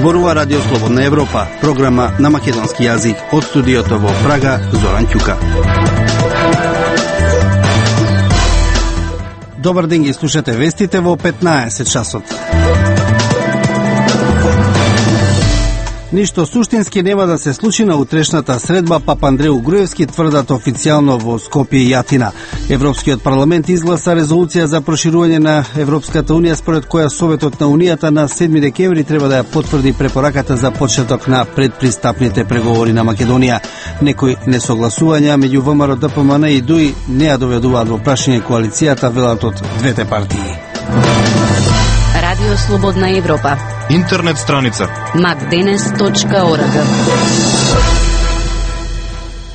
Зборува Радио Слободна Европа, програма на македонски јазик од студиото во Прага, Зоран Ќука. Добар ден, ги слушате вестите во 15 часот. Ништо суштински нема да се случи на утрешната средба Папандреу Груевски, тврдат официјално во Скопје и Атина. Европскиот парламент изгласа резолуција за проширување на Европската унија, според која Советот на Унијата на 7 декември треба да ја потврди препораката за почеток на предпристапните преговори на Македонија. Некои несогласувања меѓу ВМРО, ДПМН и ДУИ не ја доведуваат во прашање коалицијата, велат од двете партии. Радио Слободна Европа. Интернет страница macdenes.org.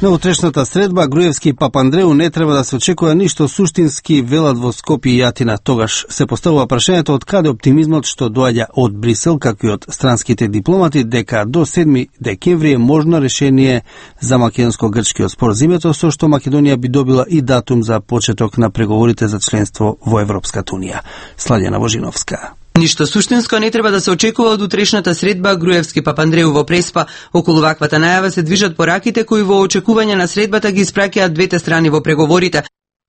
На утрешната средба Груевски и Папандреу не треба да се очекува ништо суштински, велат во Скопје и Атина. Тогаш се поставува прашањето од каде оптимизмот што доаѓа од Брисел, како и од странските дипломати, дека до 7 декември е можно решение за македонско-грчкиот спор за името, со што Македонија би добила и датум за почеток на преговорите за членство во Европската унија. Сладјана Божиновска. Ништо суштинско не треба да се очекува од утрешната средба Груевски Папандреу во Преспа. Околу ваквата најава се движат пораките кои во очекување на средбата ги испраќаат двете страни во преговорите.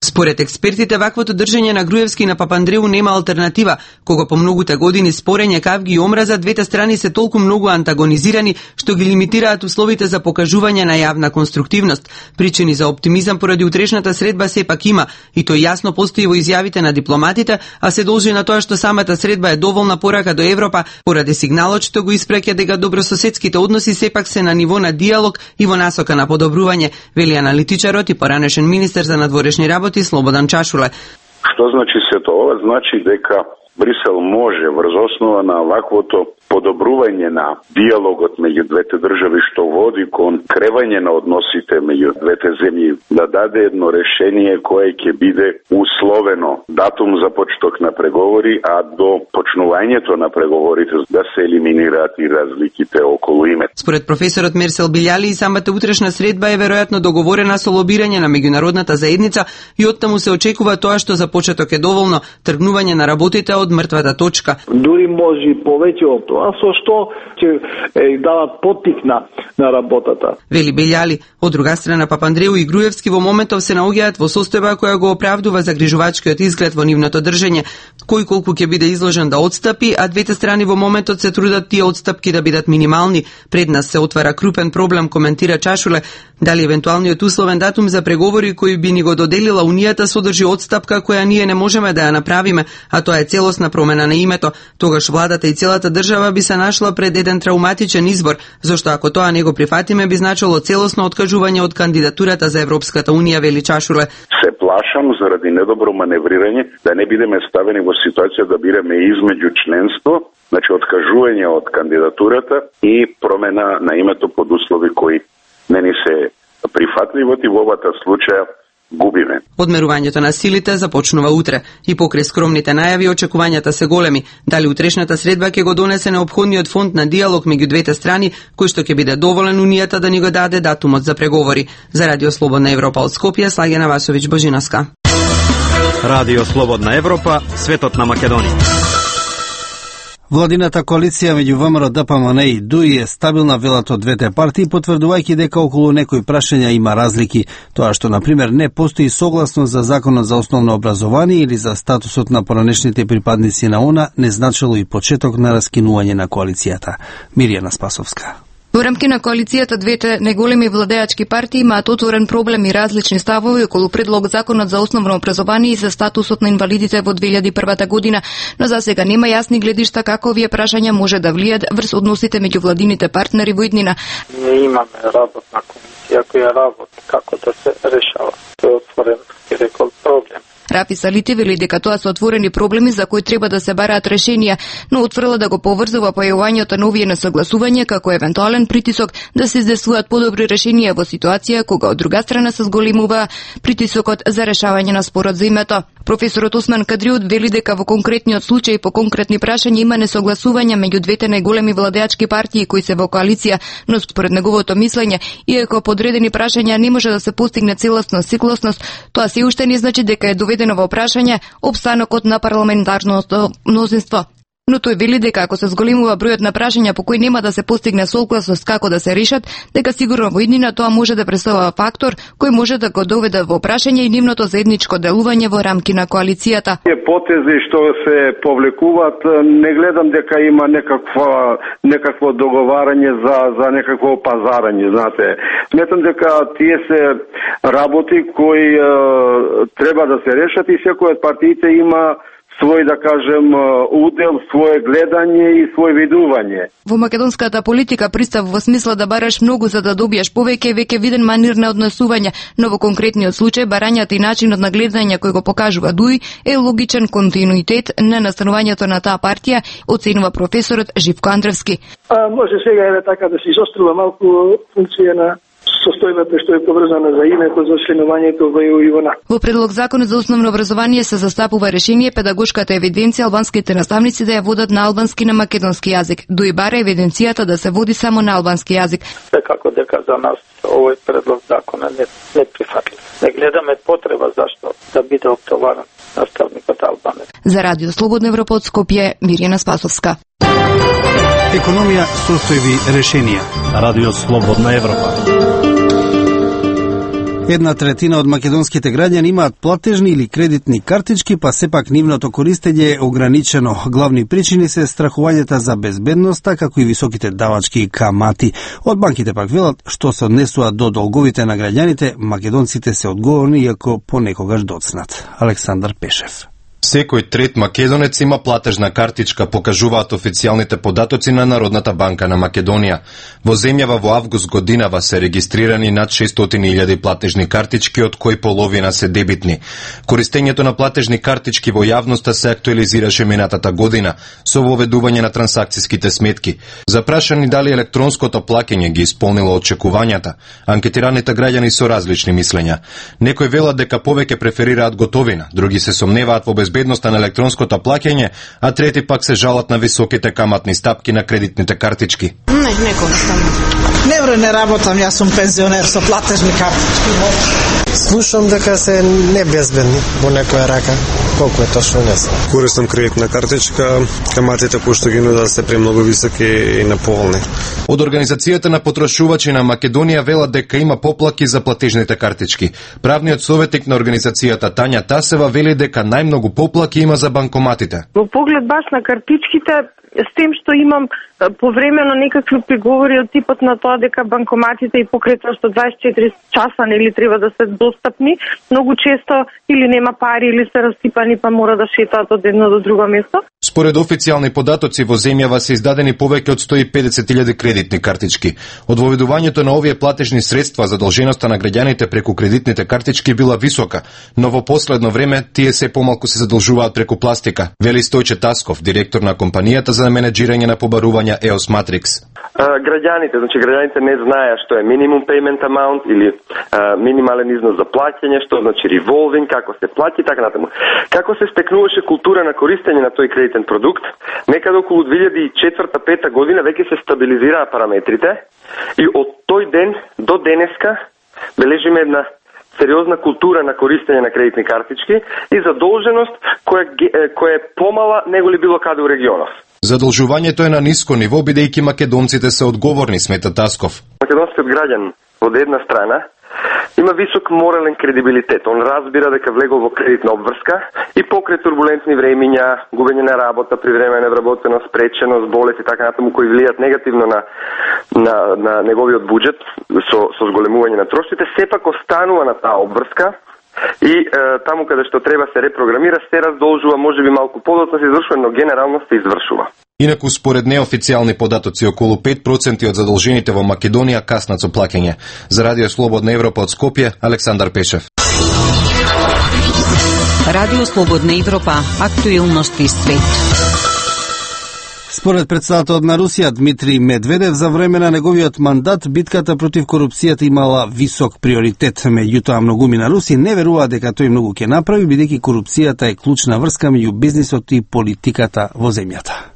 Според експертите, ваквото држење на Груевски и на Папандреу нема алтернатива, кога по многуте години спорење, кавги и омраза, двете страни се толку многу антагонизирани, што ги лимитираат условите за покажување на јавна конструктивност. Причини за оптимизам поради утрешната средба сепак има, и тој јасно постои во изјавите на дипломатите, а се должи на тоа што самата средба е доволна порака до Европа, поради сигналот што го испраќа дека добрососедските односи сепак се на ниво на диалог и во насока на подобрување, вели аналитичарот и поранешен министер за надворешни работи Слободан Чашуле. Што значи сето ова? Значи дека Брисел може врз основа на ваквото подобрување на диалогот меѓу двете држави што води кон кревање на односите меѓу двете земји да даде едно решение кое ќе биде условено датум за почеток на преговори, а до почнувањето на преговорите да се елиминираат и разликите околу име. Според професорот Мерсел Билјали, и самата утрешна средба е веројатно договорена со лобирање на меѓународната заедница и оттаму се очекува тоа што за почеток е доволно тргнување на работите од мртвата точка. Дури може и повеќе од тоа, со што ќе дават поттик на работата. Вели Белјали. Од друга страна, Папандреу и Груевски во моментов се наоѓаат во состојба која го оправдува загрижувачкиот изглед во нивното држење. Кој колку ќе биде изложен да отстапи, а двете страни во моментот се трудат тие отстапки да бидат минимални. Пред нас се отвара крупен проблем, коментира Чашуле. Дали евентуалниот условен датум за преговори кој би ни го доделила Унијата содржи отстапка која ние не можеме да ја направиме, а тоа е целосна промена на името. Тогаш владата и целата држава би се нашла пред еден трауматичен избор, зашто ако тоа не го прифатиме би значило целосно откажување од кандидатурата за Европската унија, вели Чашуле. Се плашам заради недобро маневрирање да не бидеме ставени во ситуација да бираме измеѓу членство, значи откажување од кандидатурата и промена на името под услови кои не ни се прифатливот и во овата случаја губиме. Одмерувањето на силите започнува утре и покрај скромните најави очекувањата се големи. Дали утрешната средба ќе го донесе неопходниот фонд на диалог меѓу двете страни, кој што ќе биде доволен Унијата да ни го даде датумот за преговори. За Радио Слободна Европа од Скопје, Слагена Васовиќ Божиновска. Радио Слободна Европа, светот на Македонија. Владината коалиција меѓу ВМРО, ДПМН и ДУИ е стабилна, велат од двете партии, потврдувајќи дека околу некои прашања има разлики. Тоа што, например, не постои согласност за законот за основно образование или за статусот на поранешните припадници на ОНА, не значило и почеток на раскинување на коалицијата. Миријана Спасовска. Во рамки на коалицијата двете најголеми владеачки партии имаат отворен проблем и различни ставови околу предлог законот за основно образование и за статусот на инвалидите во 2001 година, но за сега нема јасни гледишта како овие прашања може да влијат врз односите меѓу владините партнери во иднина. Ние имаме работна комисија која работи како да се решава. Тоа е отворен, рекол, проблем. Рафи Салити вели дека тоа се отворени проблеми за кои треба да се бараат решенија, но отврла да го поврзува појавувањето на овие несогласувања како евентуален притисок да се издесуваат подобри решенија во ситуација кога од друга страна се зголемува притисокот за решавање на спорот за името. Професорот Осман Кадриот вели дека во конкретниот случај по конкретни прашања има несогласувања меѓу двете најголеми владеачки партии кои се во коалиција, но според неговото мислење, иако по одредени прашања не може да се постигне целосна согласност, тоа се уште не значи дека е доведено во прашање опстанокот на парламентарното мнозинство. Но тој вели дека ако се зголемува бројот на прашања по кои нема да се постигне согласност како да се решат, дека сигурно во иднина тоа може да представува фактор кој може да го доведе во прашање и нивното заедничко делување во рамки на коалицијата. Потези што се повлекуваат, не гледам дека има некакво договарање за некакво пазарање, знаете. Сметам дека тие се работи кои треба да се решат и секој од партиите има свој, да кажем, удел, свое гледање и свој видување. Во македонската политика пристав во смисла да бараш многу за да добиеш повеќе веќе виден манир на однесување, но во конкретниот случај барањата и начинот на гледање кој го покажува Дуј е логичен континуитет на настанувањето на таа партија, оценува професорот Живко Андревски. Може сега така да се изострува малку функција на состојбата што е поврзана за името, за членувањето во ИВН. Во предлог законот за основно образование се застапува решение педагошката евиденција албанските наставници да ја водат на албански на македонски јазик. Дуј бара евиденцијата да се води само на албански јазик. Секако дека за нас овој предлог закона не прифатлив. Не гледаме потреба зашто да биде оптоварен наставникот албанец. За Радио Слободна Европа од Скопје, Мирјана Спасовска. Економија, состојби, решенија. Радио Слободна Европа. 1/3 од македонските граѓани имаат платежни или кредитни картички, па сепак нивното користење е ограничено. Главни причини се страхувањата за безбедноста, како и високите давачки камати. Од банките пак велат, што се однесува до долговите на граѓаните, македонците се одговорни, иако понекогаш доцнат. Александар Пешев. Секој трет македонец има платежна картичка, покажуваат официјалните податоци на Народната банка на Македонија. Во земјава во август годинава се регистрирани над 600.000 платежни картички, од кои половина се дебитни. Користењето на платежни картички во јавноста се актуализираше минатата година со воведување на трансакцијските сметки. Запрашани дали електронското плаќање ги исполнило очекувањата, анкетираните граѓани со различни мислења. Некои велат дека повеќе преферираат готовина, други се сомневаат во безбедноста на електронското плаќање, а трети пак се жалат на високите каматни стапки на кредитните картички. Не користам. Не работам, јас сум пензионер со платежни картички. Слушам дека се небезбедни во некоја рака. Колку е точно не знам. Користам кредитна картичка, каматите кои што ги нудат се премногу високи и неповолни. Од Организацијата на потрошувачи на Македонија велат дека има поплаки за платежните картички. Правниот советник на организацијата Тања Тасева вели дека најмногу поплаки има за банкоматите. Во поглед баш на картичките, с тем што имам повремено некакви приговори од типот на тоа дека банкоматите и покрај тоа што 24 часа нели треба да се достапни, многу често или нема пари или се расипани па мора да шетаат од едно до друго место. Според официјални податоци во земјава се издадени повеќе од 150.000 кредитни картички. Од воведувањето на овие платежни средства задолженоста на граѓаните преку кредитните картички била висока, но во последно време тие се помалку се задолжуваат преку пластика, вели Стојче Тасков, директор на компанијата за менеджирање на побарувања EOS Matrix. Граѓаните не знаеа што е minimum payment amount или минимален износ за плаќање, што значи revolving, како се плати, така натаму. Како се стекнуваше култура на користење на тој кредитен продукт, некаде околу 2004-2005 година веќе се стабилизираа параметрите и од тој ден до денеска бележиме една сериозна култура на користење на кредитни картички и задолженост која е помала него ли било каде у регионов. Задолжувањето е на ниско ниво, бидејќи македонците се одговорни, смета Тасков. Македонскиот граѓан од една страна има висок морален кредибилитет. Он разбира дека влегол во кредитна обврска и покрај турбулентни времиња, губење на работа, привремена невработеност, спреченост, болест и така натаму кои влијат негативно на неговиот буџет со зголемување на трошците, сепак останува на таа обврска и таму каде што треба се репрограмира, се раздолжува, можеби малку подоцна се извршува, но генерално се извршува. Инаку, според неофицијални податоци, околу 5% од задолжените во Македонија каснат со плаќање. За Радио Слободна Европа од Скопје, Александар Пешев. Радио Слободна Европа, актуелности свет. Според председателот на Русија Дмитрий Медведев, за време на неговиот мандат битката против корупцијата имала висок приоритет. Меѓутоа, многумина руси не веруваат дека тој многу ќе направи, бидејќи корупцијата е клучна врска меѓу бизнисот и политиката во земјата.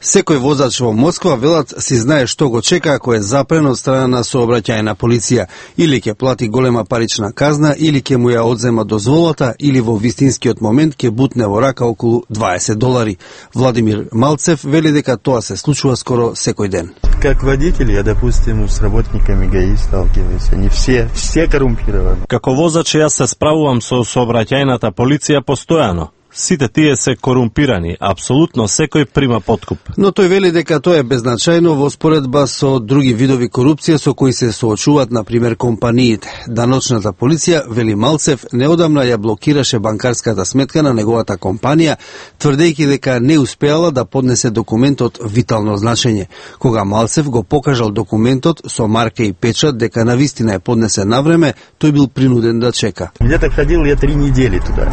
Секој возач во Москва, велат, си знае што го чека ако е запрен од страна на сообраќајна полиција. Или ќе плати голема парична казна, или ќе му ја одзема дозволата, или во вистинскиот момент ќе бутне во рака околу $20. Владимир Малцев вели дека тоа се случува скоро секој ден. Как водитель, я, допустим, с работниками ГАИ сталкиваюсь. Они все корумпированы. Како воzač јас се справувам со сообраќајната полиција постојано. Сите тие се корумпирани, апсолутно секој прима подкуп. Но тој вели дека тоа е беззначајно во споредба со други видови корупција со кои се соочуваат, например, компаниите. Даночната полиција, вели Малцев, неодамна ја блокираше банкарската сметка на неговата компанија, тврдејќи дека не успеала да поднесе документот витално значење. Кога Малцев го покажал документот со марка и печат дека навистина е поднесен на време, тој бил принуден да чека. Где-то ходил я 3 недели туда.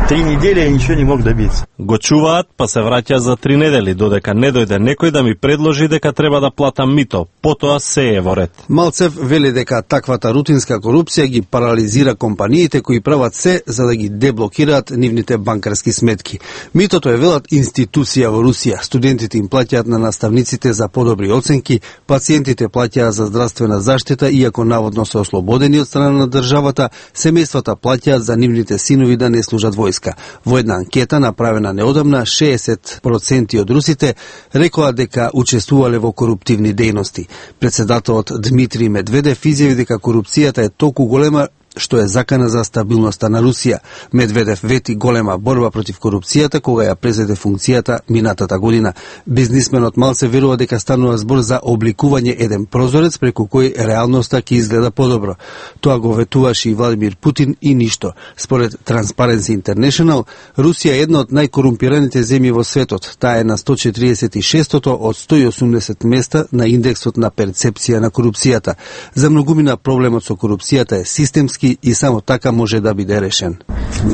3 недели я ничего не мог добиться. Го чуваат, па се враќа за 3 недели, додека не дојде некој да ми предложи дека треба да платам мито. Потоа се е во ред. Малцев вели дека таквата рутинска корупција ги парализира компаниите кои прават се за да ги деблокираат нивните банкарски сметки. Митото е, велат, институција во Русија. Студентите им плаќаат на наставниците за подобри оценки, пациентите плаќаат за здравствена заштита, иако наводно се ослободени од страна на државата, семејствата плаќаат за нивните синови да не служат војска. Во една анкета направена неодамна, 60% од русите рекоа дека учествувале во коруптивни дејности. Председателот Дмитрий Медведев изјави дека корупцијата е толку голема што е закана за стабилноста на Русија. Медведев вети голема борба против корупцијата кога ја презеде функцијата минатата година. Бизнисменот Малце верува дека станува збор за обликување еден прозорец преку кој реалноста ќе изгледа подобро. Тоа го ветуваше и Владимир Путин и ништо. Според Transparency International, Русија е една од најкорумпираните земји во светот. Таа е на 146-тото од 180 места на индексот на перцепција на корупцијата. За многумина проблемот со корупцијата е системски и само така може да биде решен.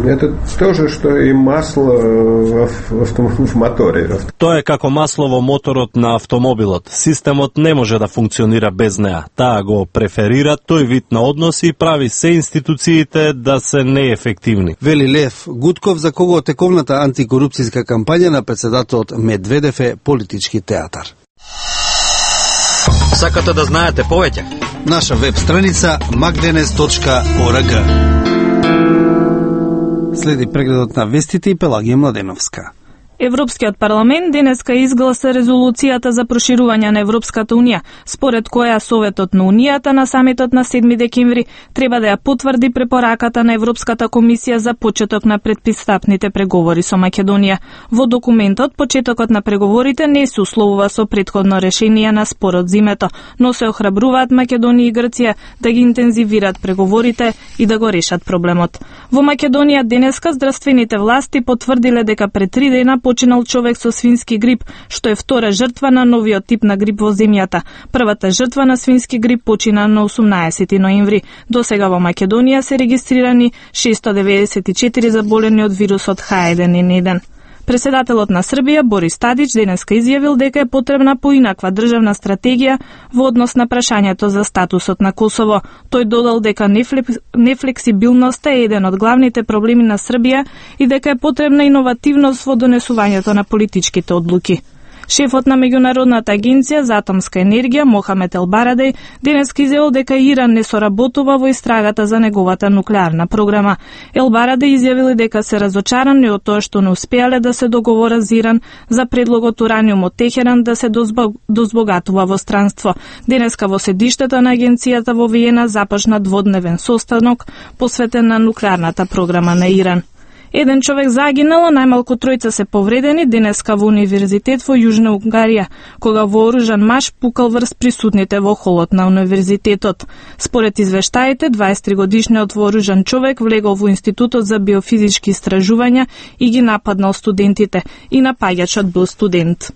Это тоже што и масло в моторе. Тоа е како масло во моторот на автомобилот. Системот не може да функционира без неа. Таа го преферира тој вид на односи и прави се институциите да се неефективни. Вели Лев Гудков, за кого тековната антикорупцијска кампања на председателот Медведев е политички театар. Сакате да знаете повеќе? Наша веб страница magdenes.org. Следи прегледот на вестите и Пелагија Младеновска. Европскиот парламент денеска изгласа резолуцијата за проширување на Европската унија, според која Советот на Унијата на самитот на 7 декември треба да ја потврди препораката на Европската комисија за почеток на предпристапните преговори со Македонија. Во документот почетокот на преговорите не се условува со претходно решение на спорот зимето, но се охрабруваат Македонија и Грција да ги интензивираат преговорите и да го решат проблемот. Во Македонија денеска здравствените власти потврдиле дека пред 3 дена починал човек со свински грип, што е втора жртва на новиот тип на грип во земјата. Првата жртва на свински грип почина на 18 ноември. До сега во Македонија се регистрирани 694 заболени од вирусот H1N1. Председателот на Србија Борис Тадич денеска изјавил дека е потребна поинаква државна стратегија во однос на прашањето за статусот на Косово. Тој додал дека нефлексибилноста е еден од главните проблеми на Србија и дека е потребна иновативност во донесувањето на политичките одлуки. Шефот на Меѓународната агенција за атомска енергија Мохамед Елбарадеј денеска изјавил дека Иран не соработува во истрагата за неговата нуклеарна програма. Елбарадеј изјавил дека се разочарани од тоа што не успеале да се договорат за Иран за предлогот ураниум од Техеран да се дозбогатува во странство. Денеска во седиштето на агенцијата во Виена започна дводневен состанок посветен на нуклеарната програма на Иран. Еден човек загинал, најмалку 3 се повредени денеска во универзитет во Јужна Унгарија, кога вооружан маж пукал врз присутните во холот на универзитетот. Според извештаите, 23-годишниот вооружан човек влегол во Институтот за биофизички истражувања и ги нападнал студентите, и напаѓачот бил студент.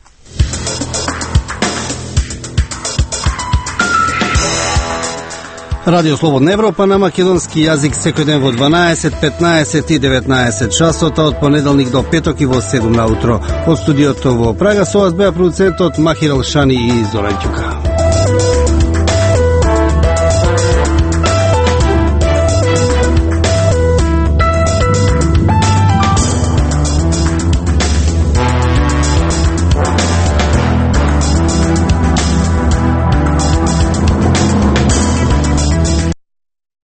Радио Слободна Европа на македонски јазик секој ден во 12, 15 и 19 часота од понеделник до петок и во 7 наутро. Од студиото во Прага со вас беа продуцентот Махир Алшани и Зоран Ќука.